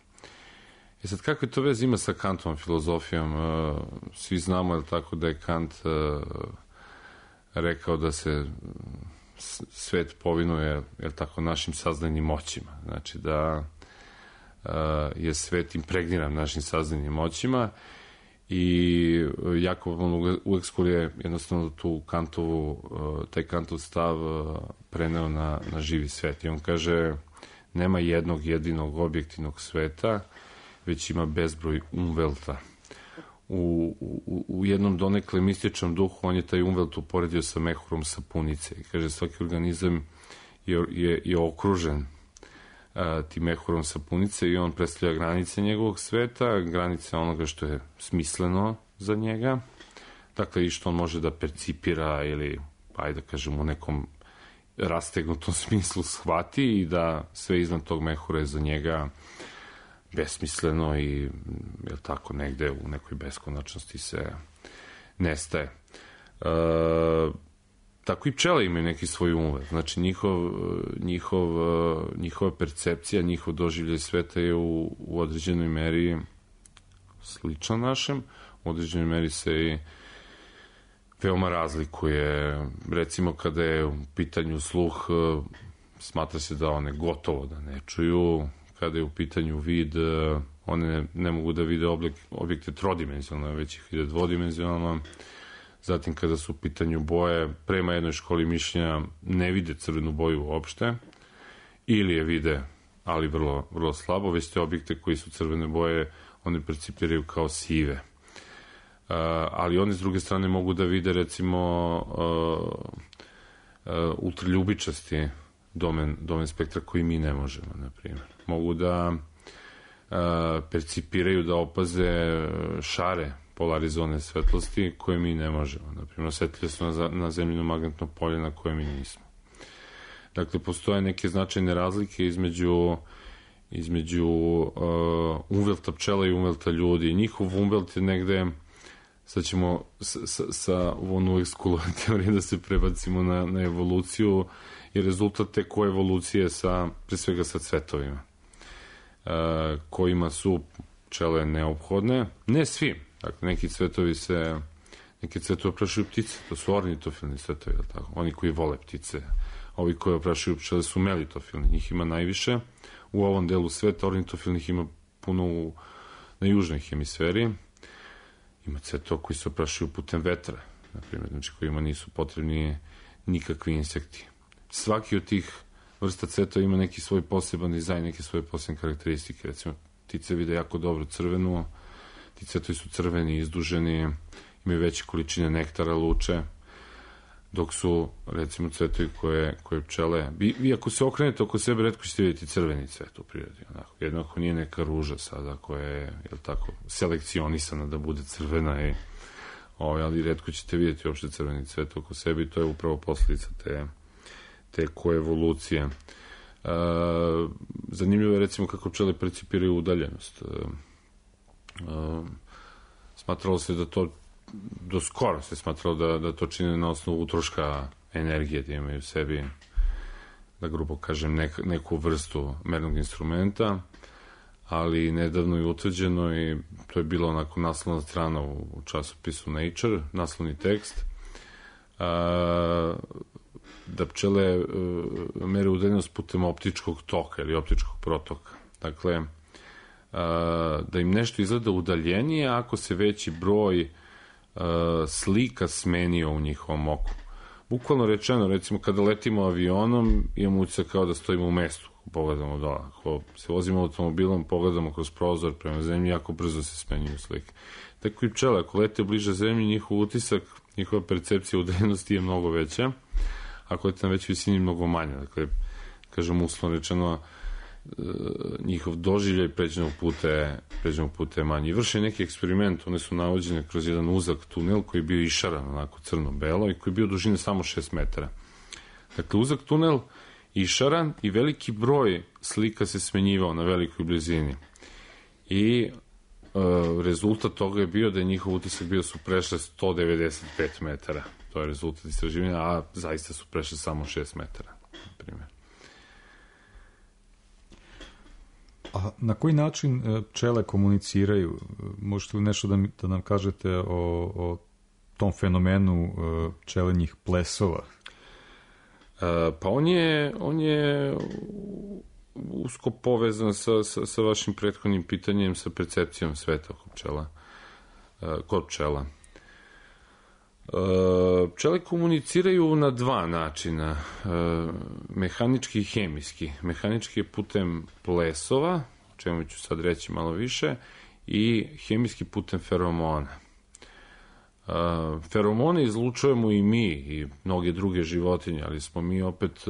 Sad, kako je to vez ima sa Kantovom filozofijom? Svi znamo, je li tako, da je Kant rekao da se svet povinuje, je li tako, našim saznajnim moćima. Znači da je svet impregniran našim saznajnim moćima i Jakob von Uexküll je jednostavno taj Kantov stav preneo na živi svet. I on kaže, nema jednog jedinog objektivnog sveta, već ima bezbroj umvelta. U jednom donekle mističnom duhu on je taj umvelt uporedio sa mehurom sapunice. I kaže, svaki organizam je okružen tim mehurom sapunice i on predstavlja granice njegovog sveta, granice onoga što je smisleno za njega, dakle i što on može da percipira ili, ajde da kažem, u nekom rastegnutom smislu shvati i da sve iznad tog mehura je za njega besmisleno i je tako negde u nekoj beskonačnosti se nestaje. Tako i pčele imaju neki svoj umet. Znači, njihova percepcija, njihov doživljaj sveta je u određenoj meri slična našem, u određenoj meri se i veoma razlikuje. Recimo, kada je u pitanju sluh, smatra se da one gotovo da ne čuju. Kada je u pitanju vid, one ne mogu da vide objekte trodimenzionalno, već ih vide dvodimenzionalno. Zatim, kada su u pitanju boje, prema jednoj školi mišljenja ne vide crvenu boju uopšte, ili je vide, ali vrlo, vrlo slabo, već te objekte koji su crvene boje, one percipiraju kao sive. Ali oni s druge strane mogu da vide, recimo, ultraljubičasti domen spektra koji mi ne možemo, na primjer. Mogu da percipiraju, da opaze šare polarizovane svetlosti koje mi ne možemo. Naprimjer, osetljive su na zemljino magnetno polje na koje mi nismo. Dakle, postoje neke značajne razlike između umvelta pčela i umvelta ljudi. Njihov umvelt je negde, sad ćemo sa onu uvek skulove teorije da se prebacimo na evoluciju, i rezultat te koevolucije pre svega sa cvetovima, kojima su pčele neophodne. Ne svi. Dakle, neki cvetovi oprašuju ptice, to su ornitofilni cvetovi, tako? Oni koji vole ptice. Ovi koji oprašuju pčele su melitofilni, njih ima najviše. U ovom delu sveta ornitofilnih ima puno na južnoj hemisferi. Ima cvetova koji se oprašuju putem vetra, na primjer, znači kojima nisu potrebni nikakvi insekti. Svaki od tih vrsta cvetova ima neki svoj poseban dizajn, neke svoje posebne karakteristike. Recimo, ptice vide jako dobro crvenu, ti cvetovi su crveni, izduženi, imaju veće količine nektara, luče, dok su, recimo, cvetovi koje pčele... Vi ako se okrenete oko sebe, retko ćete vidjeti crveni cvet u prirodi. Jedno ako nije neka ruža sada koja je, selekcionisana da bude crvena, ali retko ćete vidjeti uopšte crveni cvet oko sebe i to je upravo posljedica te koevolucije. Zanimljivo je, recimo, kako pčele percipiraju udaljenost. Smatralo se da to, do skoro se smatralo da to čine na osnovu utroška energije, da imaju u sebi, da grubo kažem, neku vrstu mernog instrumenta, ali nedavno je utvrđeno, i to je bilo onako naslovna strana u časopisu Nature, naslovni tekst, da pčele mere udaljenost putem optičkog toka ili optičkog protoka. Dakle, da im nešto izgleda udaljenije ako se veći broj slika smenio u njihovom oku. Bukvalno rečeno, recimo, kada letimo avionom, imamo utisak kao da stojimo u mestu, pogledamo dole. Ako se vozimo automobilom, pogledamo kroz prozor prema zemlji, jako brzo se smenjuju slike. Tako i pčele, ako lete bliže zemlji, njihov utisak, njihova percepcija udaljenosti je mnogo veća, ako lete na većoj visini, mnogo manja. Dakle, kažem, uslovno rečeno, njihov doživljaj pređenog puta je manji. I vrše neki eksperiment, one su navođene kroz jedan uzak tunel koji je bio išaran, onako crno-belo, i koji je bio dužine samo 6 metara. Dakle, uzak tunel, išaran, i veliki broj slika se smenjivao na velikoj blizini. I rezultat toga je bio da je njihov utisak bio su prešle 195 metara. To je rezultat istraživanja, a zaista su prešle samo 6 metara, na primjer.
A na koji način pčele komuniciraju? Možete li nešto da nam kažete o tom fenomenu pčelinjih plesova?
Pa on je usko povezan sa vašim prethodnim pitanjem, sa percepcijom sveta kod pčela. Pčele komuniciraju na dva načina, mehanički i hemijski. Mehanički je putem plesova, o čemu ću sad reći malo više, i hemijski putem feromona. Feromone izlučujemo i mi i mnoge druge životinje, ali smo mi opet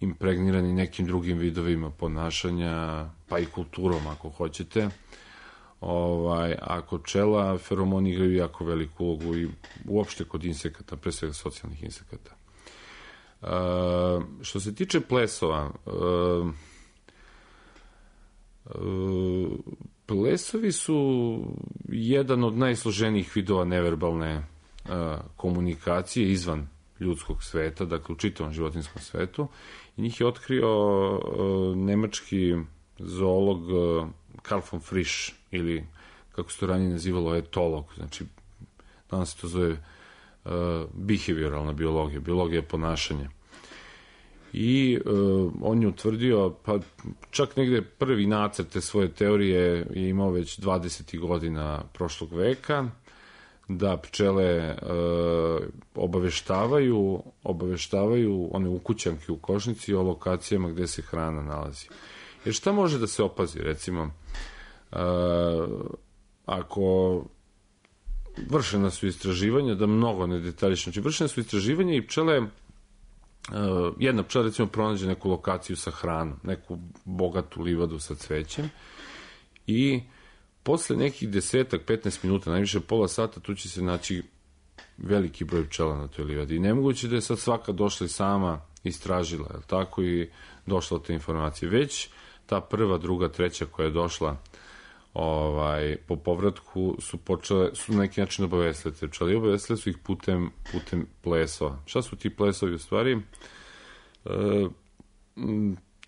impregnirani nekim drugim vidovima ponašanja, pa i kulturom, ako hoćete. A kod pčela feromoni igraju jako veliku ulogu i uopšte kod insekata, pre svega socijalnih insekata. Što se tiče plesova, Plesovi su jedan od najsloženijih vidova neverbalne komunikacije izvan ljudskog sveta, dakle u čitavom životinskom svetu. I njih je otkrio nemački zoolog Karl von Frisch, ili kako se to ranije nazivalo, etolog. Znači, danas se to zove behavioralna biologija, biologija ponašanja. I on je utvrdio, pa čak negde prvi nacrt te svoje teorije je imao već 20. godina prošlog veka, da pčele obaveštavaju one ukućanke u košnici o lokacijama gde se hrana nalazi. Jer šta može da se opazi, recimo, ako vršena su istraživanja, da mnogo ne detaljično, znači vršena su istraživanja i pčele, jedna pčela recimo pronađe neku lokaciju sa hranom, neku bogatu livadu sa cvećem i posle nekih 10-15 minuta, najviše pola sata, tu će se naći veliki broj pčela na toj livadi. I nemoguće da je sad svaka došla i sama istražila, je tako, i došla od te informacije. Već ta prva, druga, treća koja je došla po povratku su na neki način obavestile te pčele. I obavestile su ih putem plesova. Šta su ti plesovi u stvari?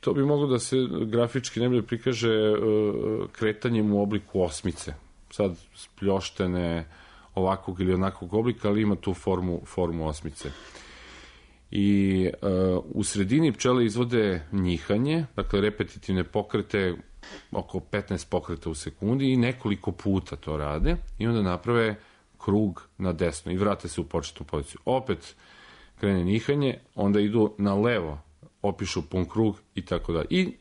To bi moglo da se grafički najbolje prikaže kretanjem u obliku osmice. Sad spljoštene ovakvog ili onakvog oblika, ali ima tu formu osmice. I u sredini pčele izvode njihanje, dakle repetitivne pokrete, oko 15 pokreta u sekundi i nekoliko puta to rade i onda naprave krug na desno i vrate se u početnu poziciju. Opet krene njihanje, onda idu na levo, opišu pun krug i tako da. I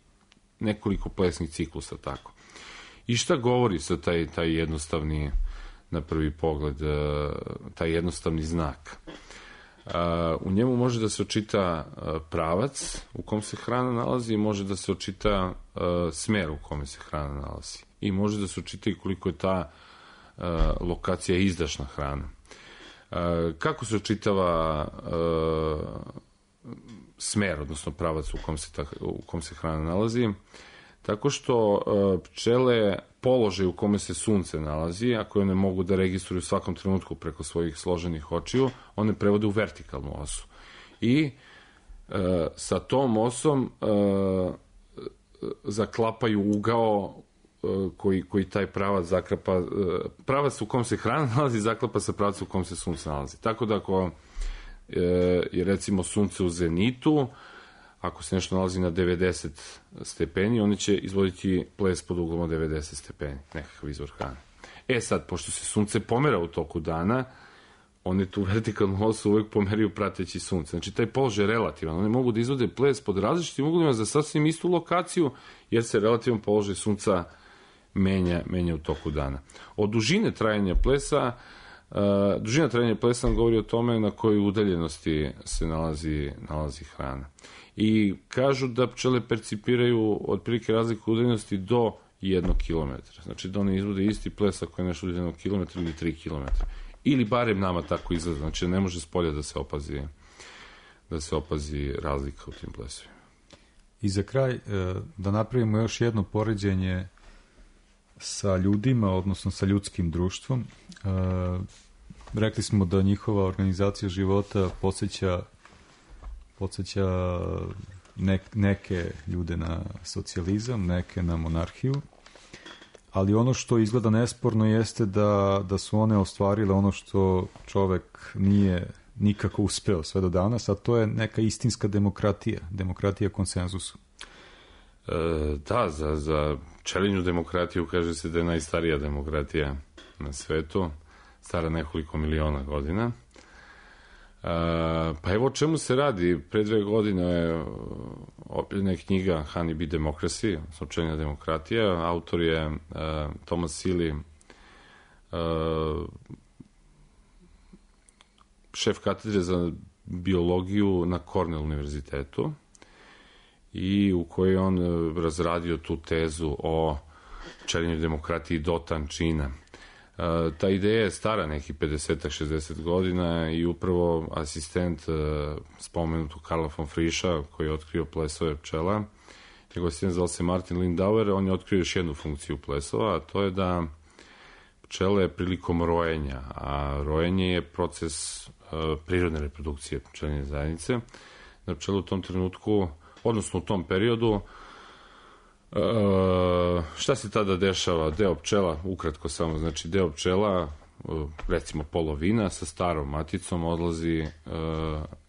nekoliko plesnih ciklusa tako. I šta govori sa taj jednostavni, na prvi pogled, taj jednostavni znak? U njemu može da se očita pravac u kom se hrana nalazi i može da se očita smer u kome se hrana nalazi. I može da se očita i koliko je ta lokacija izdašna hrana. Kako se očitava smer, odnosno pravac u kom se hrana nalazi? Tako što pčele položaj u kome se sunce nalazi, ako one mogu da registruju u svakom trenutku preko svojih složenih očiju, one prevode u vertikalnu osu. I sa tom osom zaklapaju ugao koji taj pravac zaklapa, pravac u kom se hrana nalazi zaklapa sa pravcem u kom se sunce nalazi. Tako da ako je recimo sunce u zenitu, ako se nešto nalazi na 90 stepeni, oni će izvoditi ples pod uglom od 90 stepeni, nekakav izvor hrane. Sad, pošto se sunce pomera u toku dana, one tu vertikalnu osu uvek pomeraju prateći sunce. Znači, taj položaj je relativan. One mogu da izvode ples pod različitim uglima za sasvim istu lokaciju, jer se relativan položaj sunca menja u toku dana. Od dužine trajanja plesa, govori o tome na kojoj udaljenosti se nalazi hrana. I kažu da pčele percipiraju otprilike razliku udaljenosti do 1 km. Znači da one izvode isti ples ako je nešto udaljeno kilometra ili 3 km. Ili barem nama tako izgleda. Znači ne može spolja da se opazi razlika u tim plesovima.
I za kraj da napravimo još jedno poređenje sa ljudima, odnosno sa ljudskim društvom. Rekli smo da njihova organizacija života podsjeća neke ljude na socijalizam, neke na monarhiju, ali ono što izgleda nesporno jeste da su one ostvarile ono što čovek nije nikako uspeo sve do danas, a to je neka istinska demokratija konsenzusu.
Da, za pčelinju demokratiju kaže se da je najstarija demokratija na svetu, stara nekoliko miliona godina. Pa evo o čemu se radi. Pre 2 godine je objavljena knjiga Honey Bee Democracy, pčelinja demokratija. Autor je Thomas Seeley, šef katedre za biologiju na Cornell univerzitetu, i u kojoj je on razradio tu tezu o pčelinjoj demokratiji do tančina. Ta ideja je stara nekih 50-60 godina i upravo asistent spomenutog Karla von Frischa, koji je otkrio plesove pčela, njegov asistent zvao se Martin Lindauer, on je otkrio još jednu funkciju plesova, a to je da pčele prilikom rojenja, a rojenje je proces prirodne reprodukcije pčelinje zajednice, da pčele u tom trenutku, odnosno u tom periodu, šta se tada dešava? Deo pčela, ukratko samo, znači deo pčela, recimo polovina sa starom maticom odlazi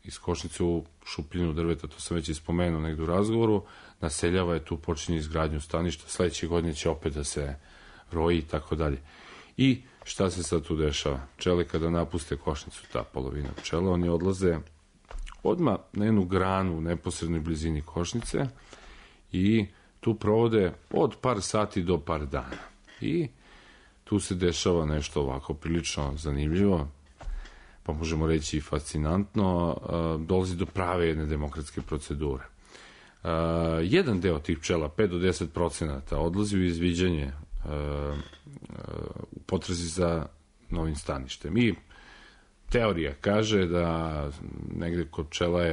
iz košnice u šupljinu drveta, to sam već ispomenuo negdje u razgovoru, naseljava je tu, počinje izgradnju staništa, sledeće godine će opet da se roji i tako dalje. I šta se sad tu dešava? Pčele kada napuste košnicu, ta polovina pčela, oni odlaze odmah na jednu granu u neposrednoj blizini košnice i tu provode od par sati do par dana. I tu se dešava nešto ovako prilično zanimljivo, pa možemo reći i fascinantno, dolazi do prave jedne demokratske procedure. Jedan deo tih pčela, 5 do 10%, odlazi u izviđanje u potrazi za novim staništem. I teorija kaže da negde kod pčela je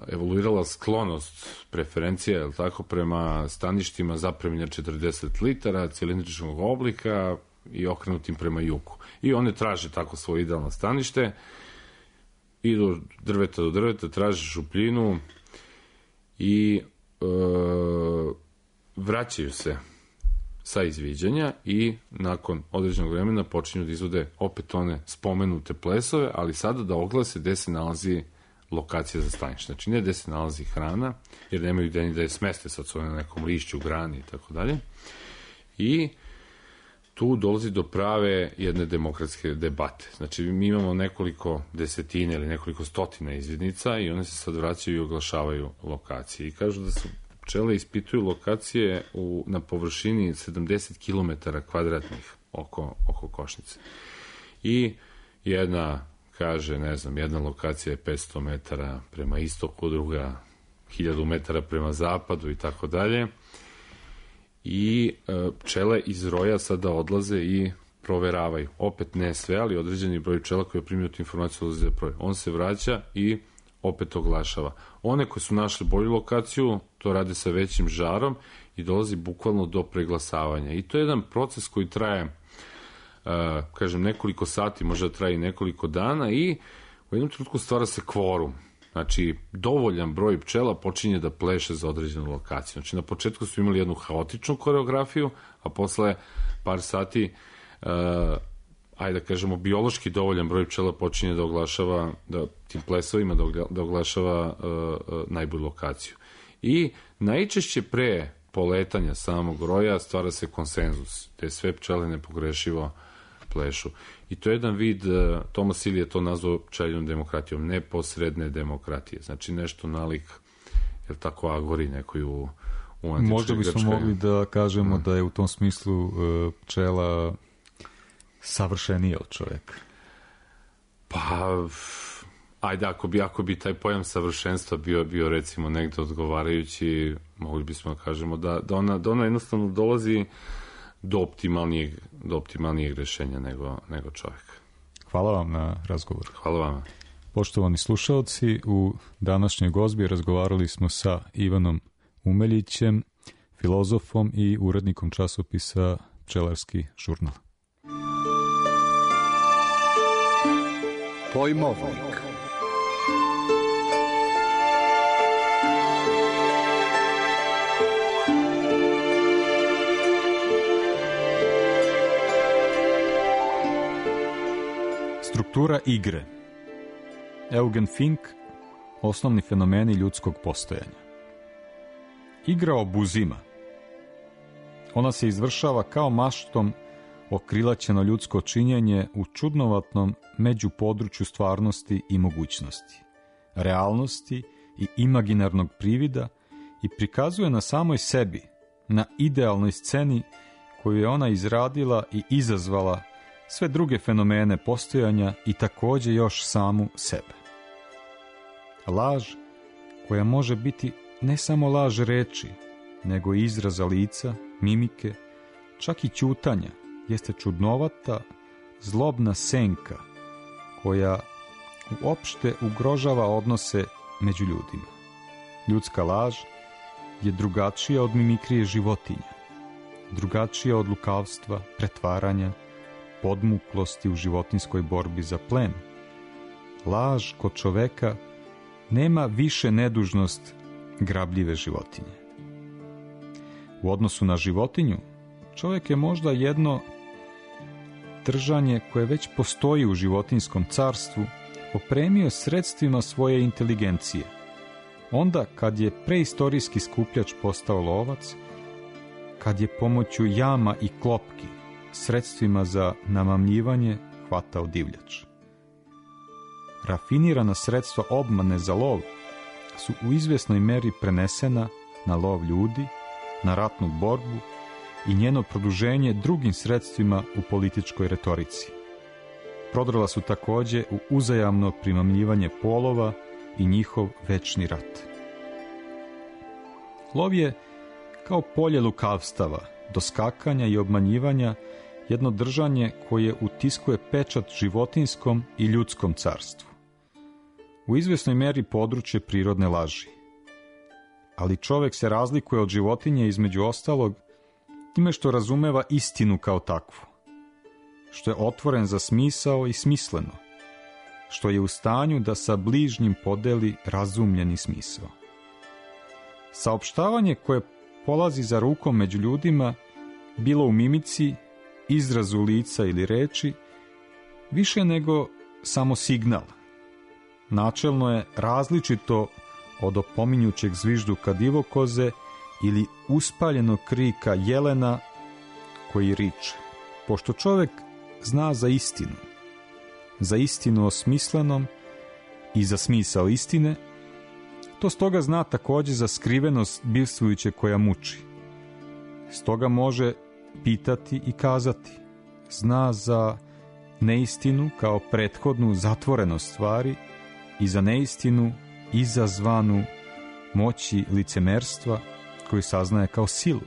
evoluirala sklonost, preferencija, je li tako, prema staništima zapremljenja 40 litara, cilindričnog oblika i okrenutim prema jugu. I one traže tako svoje idealno stanište, idu drveta do drveta, traže šupljinu i vraćaju se sa izviđanja i nakon određenog vremena počinju da izvode opet one spomenute plesove, ali sada da oglase gde se nalazi lokacija za stanište. Znači, ne gde se nalazi hrana, jer nemaju gde ni da je smeste, sad su na nekom lišću, grani i tako dalje. I tu dolazi do prave jedne demokratske debate. Znači, mi imamo nekoliko desetina ili nekoliko stotina izvidnica i one se sad vraćaju i oglašavaju lokacije. I kažu da su pčele ispituju lokacije na površini 70 km kvadratnih oko košnice. I jedna kaže, ne znam, jedna lokacija je 500 metara prema istoku, druga 1000 metara prema zapadu i tako dalje. I pčele iz roja sada odlaze i proveravaju. Opet ne sve, ali određeni broj pčela koji je primio tu informaciju odlaze za broj. On se vraća i opet oglašava. One koje su našli bolju lokaciju, to rade sa većim žarom i dolazi bukvalno do preglasavanja. I to je jedan proces koji traje, kažem, nekoliko sati, možda traje i nekoliko dana i u jednom trenutku stvara se kvorum. Znači, dovoljan broj pčela počinje da pleše za određenu lokaciju. Znači, na početku su imali jednu haotičnu koreografiju, a posle par sati, ajde da kažemo, biološki dovoljan broj pčela počinje da oglašava, da tim plesovima da oglašava najbolju lokaciju. I najčešće pre poletanja samog roja stvara se konsenzus, te sve pčele nepogrešivo plešu. I to je jedan vid, Thomas Hill je to nazvao pčeljnom demokratijom, neposredne demokratije. Znači nešto nalik, je li tako, agori nekoj u antičkoj Grčkoj.
Možda bismo mogli da kažemo da je u tom smislu pčela savršenija od čoveka.
Pa, ajde, ako bi taj pojam savršenstva bio recimo negde odgovarajući, mogli bismo da kažemo da ona jednostavno dolazi do optimalnijeg rešenja nego čovjek.
Hvala vam na razgovor.
Hvala vam.
Poštovani slušaoci, u današnjoj gozbi razgovarali smo sa Ivanom Umeljićem, filozofom i urednikom časopisa Pčelarski žurnal.
Pojmovnik.
Struktura igre. Eugen Fink, osnovni fenomeni ljudskog postojanja. Igra obuzima. Ona se izvršava kao maštom okrilaćeno ljudsko činjenje u čudnovatnom međupodručju stvarnosti i mogućnosti, realnosti i imaginarnog privida i prikazuje na samoj sebi, na idealnoj sceni koju je ona izradila i izazvala sve druge fenomene postojanja i takođe još samu sebe. Laž koja može biti ne samo laž reči, nego i izraza lica, mimike, čak i ćutanja, jeste čudnovata, zlobna senka koja uopšte ugrožava odnose među ljudima. Ljudska laž je drugačija od mimikrije životinja, drugačija od lukavstva, pretvaranja, podmuklosti u životinskoj borbi za plen. Laž kod čoveka nema više nedužnost grabljive životinje. U odnosu na životinju, čovjek je možda jedno držanje koje već postoji u životinjskom carstvu opremio sredstvima svoje inteligencije. Onda kad je preistorijski skupljač postao lovac, kad je pomoću jama i klopki sredstvima za namamljivanje hvatao divljač. Rafinirana sredstva obmane za lov su u izvjesnoj meri prenesena na lov ljudi, na ratnu borbu i njeno produženje drugim sredstvima u političkoj retorici. Prodrla su također u uzajamno primamljivanje polova i njihov večni rat. Lov je kao polje lukavstava, doskakanja i obmanjivanja jedno držanje koje utiskuje pečat životinskom i ljudskom carstvu. U izvjesnoj meri područje prirodne laži. Ali čovjek se razlikuje od životinje između ostalog time što razumeva istinu kao takvu, što je otvoren za smisao i smisleno, što je u stanju da sa bližnjim podeli razumljeni smisao. Saopštavanje koje polazi za rukom među ljudima, bilo u mimici, izrazu lica ili reči, više nego samo signal. Načelno je različito od opominjućeg zvižduka divokoze ili uspaljenog krika jelena koji riče. Pošto čovjek zna za istinu osmislenom i za smisao istine, to stoga zna također za skrivenost bivstvujuće koja muči. Stoga može pitati i kazati. Zna za neistinu kao prethodnu zatvorenost stvari i za neistinu izazvanu moći licemerstva koju saznaje kao silu.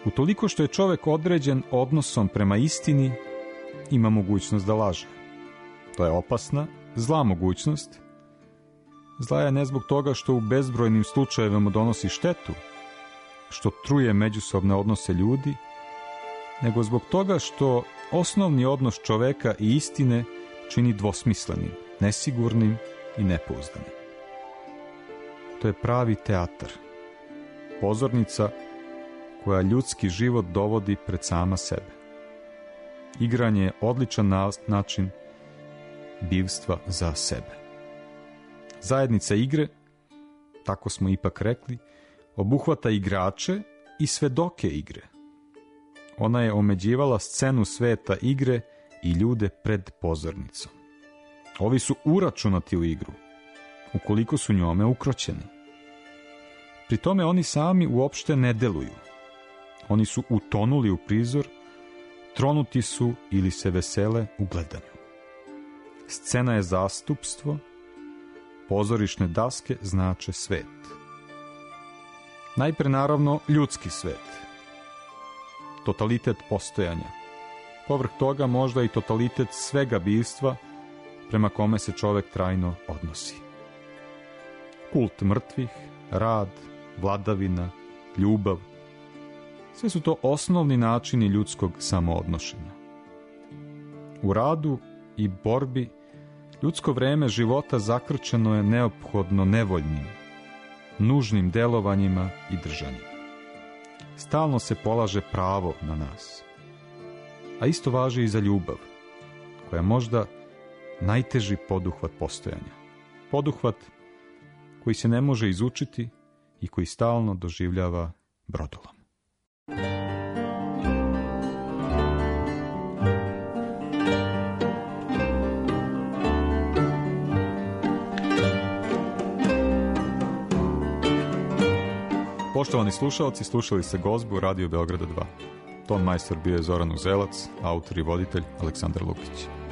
Utoliko što je čovjek određen odnosom prema istini, ima mogućnost da laže. To je opasna, zla mogućnost. Zla je ne zbog toga što u bezbrojnim slučajevima donosi štetu, što truje međusobne odnose ljudi, nego zbog toga što osnovni odnos čoveka i istine čini dvosmislenim, nesigurnim i nepouzdanim. To je pravi teatar, pozornica koja ljudski život dovodi pred sama sebe. Igranje je odličan način bivstva za sebe. Zajednica igre, tako smo ipak rekli, obuhvata igrače i svedoke igre. Ona je omeđivala scenu sveta igre i ljude pred pozornicom. Ovi su uračunati u igru, ukoliko su njome ukroćeni. Pri tome oni sami uopšte ne deluju. Oni su utonuli u prizor, tronuti su ili se vesele u gledanju. Scena je zastupstvo, pozorišne daske znače svet. Najpre naravno ljudski svet, totalitet postojanja. Povrh toga možda i totalitet svega bivstva prema kome se čovjek trajno odnosi. Kult mrtvih, rad, vladavina, ljubav, sve su to osnovni načini ljudskog samoodnošenja. U radu i borbi ljudsko vreme života zakrčeno je neophodno nevoljnim, nužnim delovanjima i držanjima. Stalno se polaže pravo na nas. A isto važi i za ljubav, koja je možda najteži poduhvat postojanja. Poduhvat koji se ne može izučiti i koji stalno doživljava brodolom. Poštovani slušalci, slušali ste Gozbu Radio Beograda 2. Ton majstor bio je Zoran Uzelac, autor i voditelj Aleksandar Lukić.